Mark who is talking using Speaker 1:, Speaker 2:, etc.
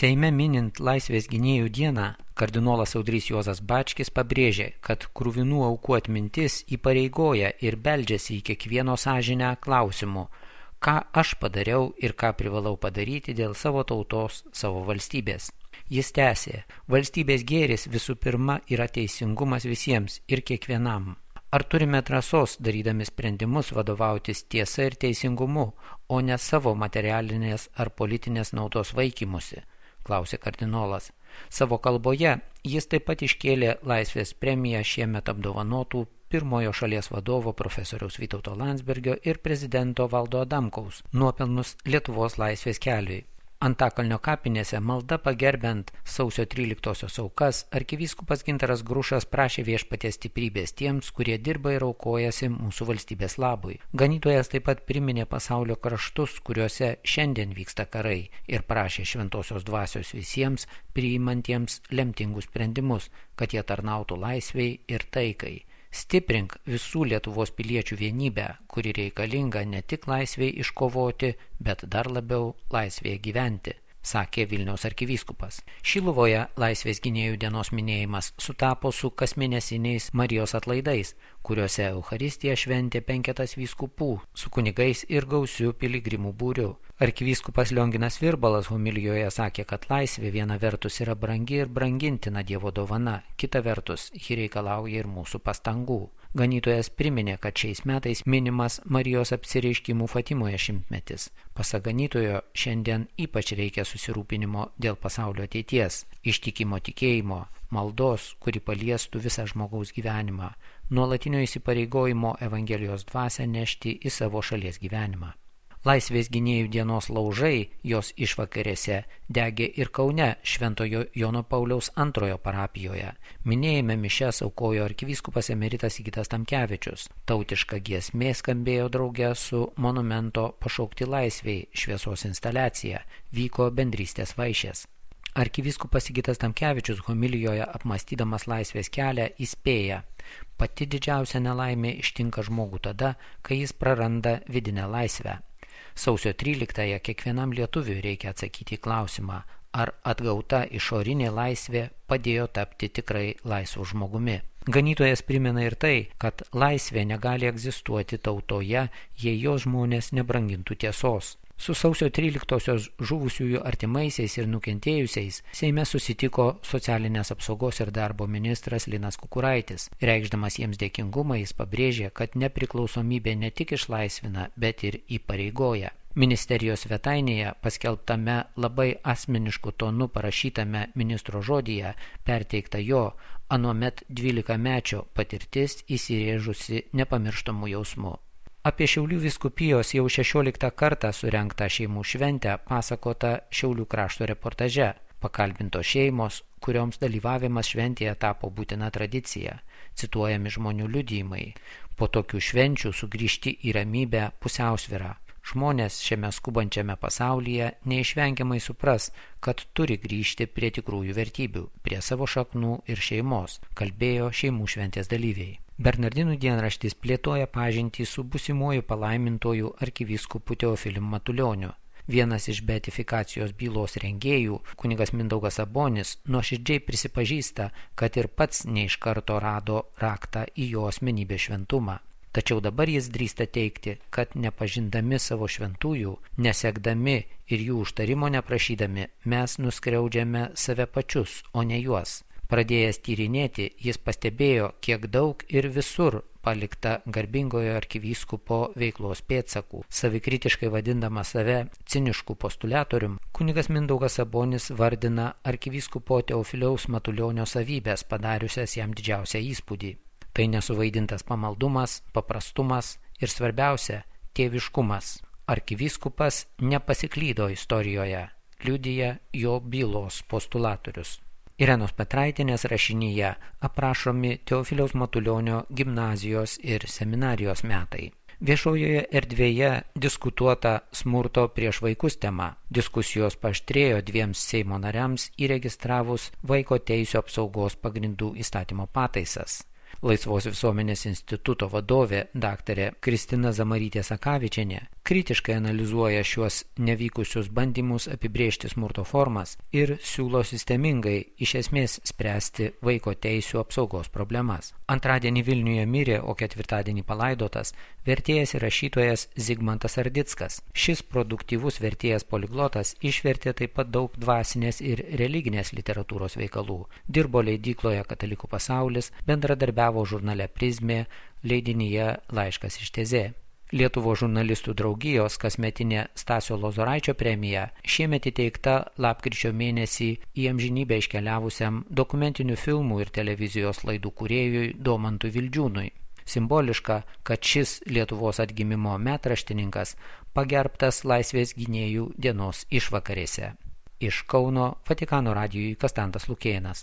Speaker 1: Seime minint Laisvės gynėjų dieną, kardinolas Audrys Juozas Bačkis pabrėžė, kad kruvinų aukų atmintis įpareigoja ir beldžiasi į kiekvieno sąžinę klausimu, ką aš padariau ir ką privalau padaryti dėl savo tautos, savo valstybės. Jis tęsė, valstybės gėris visų pirma yra teisingumas visiems ir kiekvienam. Ar turime drąsos, darydami sprendimus, vadovautis tiesa ir teisingumu, o ne savo materialinės ar politinės naudos vaikymusi? Klausė kardinolas. Savo kalboje jis taip pat iškėlė Laisvės premiją šiemet apdovanotų pirmojo šalies vadovo profesoriaus Vytauto Landsbergio ir prezidento Valdo Adamkaus nuopelnus Lietuvos laisvės keliui. Antakalnio kapinėse malda pagerbent sausio 13-osios aukas, arkivyskupas Gintaras Grušas prašė viešpaties stiprybės tiems, kurie dirba ir aukojasi mūsų valstybės labui. Ganytojas taip pat priminė pasaulio kraštus, kuriuose šiandien vyksta karai, ir prašė šventosios dvasios visiems priimantiems lemtingus sprendimus, kad jie tarnautų laisvei ir taikai. Stiprink visų Lietuvos piliečių vienybę, kuri reikalinga ne tik laisvėje iškovoti, bet dar labiau laisvėje gyventi, sakė Vilniaus arkivyskupas. Šiluvoje Laisvės gynėjų dienos minėjimas sutapo su kasmėnesiniais Marijos atlaidais, kuriuose Eucharistiją šventė 5 vyskupų su kunigais ir gausiu piligrimų būriu. Arkivyskupas Lionginas Virbalas homilijoje sakė, kad laisvė viena vertus yra brangi ir brangintina Dievo dovana, kita vertus ji reikalauja ir mūsų pastangų. Ganytojas priminė, kad šiais metais minimas Marijos apsireiškimų Fatimoje 100-metis. Pasak ganytojo, šiandien ypač reikia susirūpinimo dėl pasaulio ateities, ištikimo tikėjimo, maldos, kuri paliestų visą žmogaus gyvenimą, nuolatinio įsipareigojimo Evangelijos dvasią nešti į savo šalies gyvenimą. Laisvės gynėjų dienos laužai jos išvakarėse degė ir Kaune Šventojo Jono Pauliaus II parapijoje. Minėjime mišias aukojo arkivyskupas emeritas Sigitas Tamkevičius. Tautiška giesmė skambėjo drauge su monumento Pašaukti laisvei šviesos instaliacija, vyko bendrystės vaišės. Arkivyskupas Sigitas Tamkevičius homilijoje apmąstydamas laisvės kelią įspėja, pati didžiausia nelaimė ištinka žmogų tada, kai jis praranda vidinę laisvę. Sausio 13-ąją kiekvienam lietuviui reikia atsakyti į klausimą, ar atgauta išorinė laisvė padėjo tapti tikrai laisvu žmogumi. Ganytojas primena ir tai, kad laisvė negali egzistuoti tautoje, jei jos žmonės nebrangintų tiesos. Su sausio 13-osios žuvusiųjų artimaisiais ir nukentėjusiais Seime susitiko socialinės apsaugos ir darbo ministras Linas Kukuraitis. Reikšdamas jiems dėkingumą, jis pabrėžė, kad nepriklausomybė ne tik išlaisvina, bet ir įpareigoja. Ministerijos svetainėje paskelbtame labai asmenišku tonu parašytame ministro žodyje perteikta jo anuomet 12-mečio patirtis įsirėžusi nepamirštamų jausmų. Apie Šiaulių vyskupijos jau 16 kartą surengtą šeimų šventę pasakota Šiaulių krašto reportaže. Pakalbintos šeimos, kurioms dalyvavimas šventėje tapo būtina tradicija. Cituojami žmonių liudijimai. Po tokių švenčių sugrįžti į ramybę, pusiausvyrą. Žmonės šiame skubančiame pasaulyje neišvengiamai supras, kad turi grįžti prie tikrųjų vertybių, prie savo šaknų ir šeimos, kalbėjo šeimų šventės dalyviai. Bernardinų dienraštis plėtoja pažintį su būsimuoju palaimintoju arkivyskupu Teofilium Matulioniu. Vienas iš beatifikacijos bylos rengėjų, kunigas Mindaugas Sabonis, nuoširdžiai prisipažįsta, kad ir pats ne iš karto rado raktą į jo asmenybės šventumą. Tačiau dabar jis drįsta teigti, kad nepažindami savo šventųjų, nesekdami ir jų užtarimo neprašydami, mes nuskriaudžiame save pačius, o ne juos. Pradėjęs tyrinėti, jis pastebėjo, kiek daug ir visur palikta garbingojo arkivyskupo veiklos pėdsakų. Savikritiškai vadindama save cinišku postuliatorium, kunigas Mindaugas Sabonis vardina arkivyskupo Teofiliaus Matulionio savybės, padariusias jam didžiausią įspūdį. Tai nesuvaidintas pamaldumas, paprastumas ir svarbiausia – tėviškumas. Arkivyskupas nepasiklydo istorijoje, liudija jo bylos postulatorius. Irenos Petraitinės rašinyje aprašomi Teofiliaus Matulionio gimnazijos ir seminarijos metai. Viešojoje erdvėje diskutuota smurto prieš vaikus tema. Diskusijos paaštrėjo 2 Seimo nariams įregistravus Vaiko teisių apsaugos pagrindų įstatymo pataisas. Laisvos visuomenės instituto vadovė dr. Kristina Zamarytė-Sakavičienė kritiškai analizuoja šiuos nevykusius bandymus apibrėžti smurto formas ir siūlo sistemingai iš esmės spręsti vaiko teisių apsaugos problemas. Antradienį Vilniuje mirė, o ketvirtadienį palaidotas vertėjas ir rašytojas Zigmantas Ardickas. Šis produktyvus vertėjas poliglotas išvertė taip pat daug dvasinės ir religinės literatūros veikalų. Dirbo leidykloje Katalikų pasaulis, bendradarbiavo žurnale Prizmė, leidinyje Laiškas iš Tezė. Lietuvos žurnalistų draugijos kasmetinė Stasio Lozoraičio premija šiemet įteikta lapkričio mėnesį į amžinybę iškeliavusiam dokumentinių filmų ir televizijos laidų kūrėjui Domantui Vildžiūnui. Simboliška, kad šis Lietuvos atgimimo metraštininkas pagerbtas Laisvės gynėjų dienos išvakarėse. Iš Kauno Vatikano radijui Konstantas Lukėnas.